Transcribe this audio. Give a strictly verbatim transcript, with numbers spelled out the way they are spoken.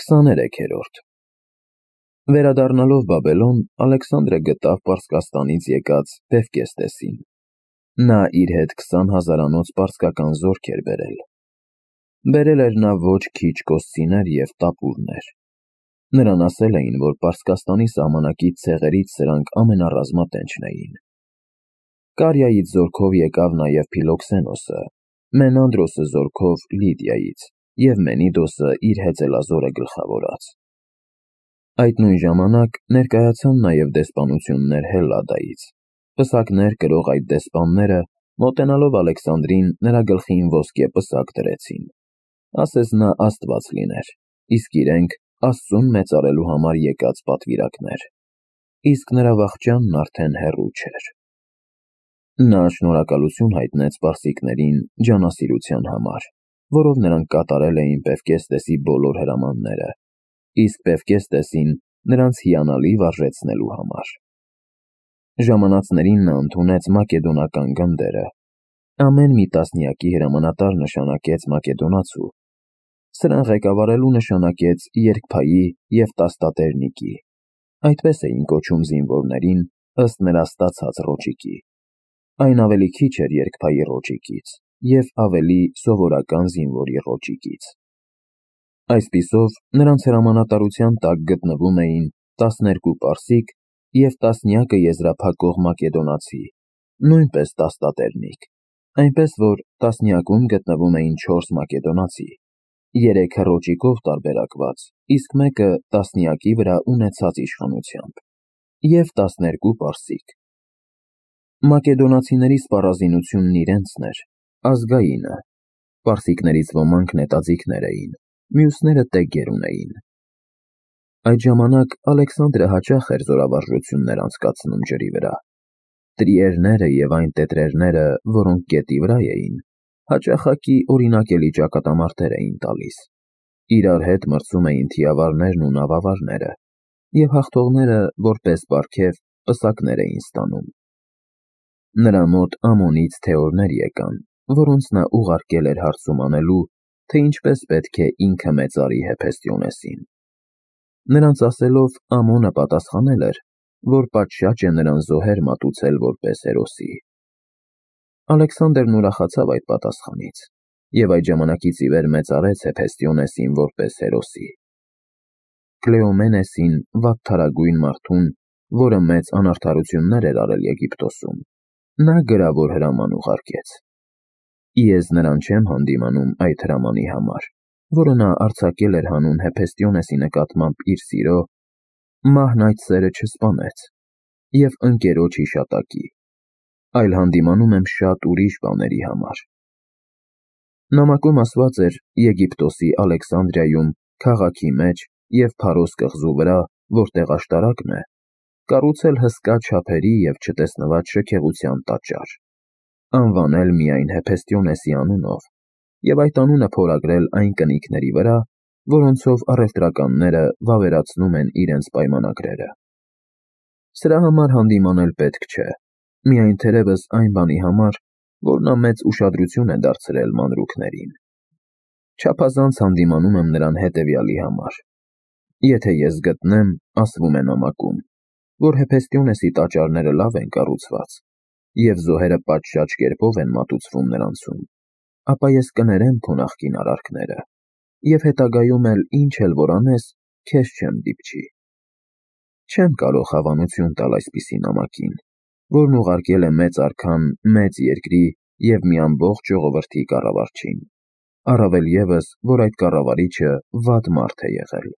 քսաներեքերորդ Վերադառնալով Բաբելոն, Ալեքսանդրը գտավ Պարսկաստանից եկած Բեֆկեստեսին. նա իր հետ քսան հազարանոց պարսկական զորք էր բերել։ Բերել էր նա ոչ քիչ կոսցիներ և տապուրներ։ Նրան ասել էին, որ Պարսկաստանի սահմանակից ցեղերից սրանք ամենառազմատենչն էին։ Կարիայից զորքով եկավ նաև Փիլոքսենոսը, Մենանդրոսը զորքով Լիդիայից և Մենիդոսը իր հեծելազորը գլխավորած։ Այդ նույն ժամանակ ներկայացան նաև դեսպանություններ Հելլադայից։ Պսակներ կրող այդ դեսպանները, մոտենալով Ալեքսանդրին, նրա գլխին ոսկե պսակ դրեցին, ասես նա աստված լիներ, իսկ իրենք Աստծուն մեծարելու համար եկած պատվիրակներ, իսկ նրա վախճանն արդեն հեռու չէր։ Նա շնորհակալություն հայտնեց պարսիկներին ջանասիրության համար, որով նրանք կատարել էին Բեֆկեստեսի բոլոր հրամանները, իսկ Բեֆկեստեսին նրանց հիանալի վարժեցնելու համար։ Ժամանածներին նա ընդունեց մակեդոնական գնդերը, ամեն մի տասնյակի հրամանատար նշանակեց մակեդոնացու, սրան ղեկավարելու նշանակեց երկփայի և տաստատերնիկի, այդպես էին կոչում զինվորներին ըստ նրա ստացած ռոճիկի, այն ավելի քիչ էր երկփայի ռոճիկից և ավելի սովորական զինվորի ռոճիկից։ Այսպիսով նրանց հրամանատարության տակ գտնվում էին տասներկու պարսիկ և տասնյակը եզրափակող մակեդոնացի, նույնպես տաստատերնիկ, այնպես որ տասնյակում գտնվում էին չորս մակեդոնացի, երեքը ռոճիկով տարբերակված, իսկ մեկը տասնյակի վրա ունեցած իշխանությամբ, և տասներկու պարսիկ։ Մակեդոնացիների սպառազինությունն իրենցն էր, ազգայինը, պարսիկներից ոմանք նետաձիգներ էին, մյուսները տեգեր ունեին։ Այդ ժամանակ Ալեքսանդրը հաճախ էր զորավարժություններ անցկացնում ջրի վրա։ Տրիերները և այն տետրերները, որոնք գետի վրա էին, հաճախակի օրինակելի ճակատամարտեր էին տալիս, իրար հետ մրցում էին թիավարներն ու նավավարները, և հաղթողները, որպես պարգև, պսակներ էին ստանում։ Նրա մոտ Ամոնից թեորներ եկան, որոնց նա ուղարկել էր հարցում անելու, թե ինչպես պետք է ինքը մեծարի Հեփեստիոնեսին։ Նրանց ասելով Ամոնը պատասխանել էր, որ պատշաճ է նրան զոհեր մատուցել որպես հերոսի։ Ալեքսանդրն ուրախացավ այդ պատասխանից և այդ ժամանակից ի վեր մեծարեց Հեփեստիոնեսին որպես հերոսի։ Կլեոմենեսին, վատթարագույն մարդուն, որը մեծ անարդարություններ էր արել Եգիպտոսում, նա գրավոր հրաման ուղարկեց։ Ես նրան չեմ հանդիմանում այդ հրամանի համար, որը նա արձակել էր հանուն Հեփեստիոնեսի նկատմամբ իր սիրո, մահն այդ սերը չսպանեց, և ընկերոջ հիշատակի, այլ հանդիմանում եմ շատ ուրիշ բաների համար։ Նամակում ասված էր Եգիպտոսի Ալեքսանդրիայում, քաղաքի մեջ և Փարոս կղզու վրա, որտեղ աշտարակն է, կառուցել հսկա չափերի և չտեսնված շքեղության տաճար, անվանել միայն Հեփեստիոնեսի անունով և այդ անունը փորագրել այն կնիկների վրա, որոնցով առևտրականները վավերացնում են իրենց պայմանագրերը։ Սրա համար հանդիմանել պետք չէ, միայն թերևս այն բանի համար, որ նա մեծ ուշադրություն է դարձրել մանրուքներին։ Չափազանց հանդիմանում եմ նրան հետևյալի համար. եթե ես գտնեմ, ասվում է նամակում, որ Հեփեստիոնեսի տաճարները լավ են կառուցված, և զոհերը պատշաճ կերպով են մատուցվում նրանցում, ապա ես կներեմ քո նախկին արարքները, և հետագայում էլ ինչ էլ որ անես, քեզ չեմ դիպչի։ Չեմ կարող հավանություն տալ այսպիսի նամակին, որն ուղարկել է մեծ արքան մեծ երկրի և մի ամբողջ ժողովրդի կառավարչին, առավել ևս, որ այդ կառավարիչը վատ մարդ է եղել։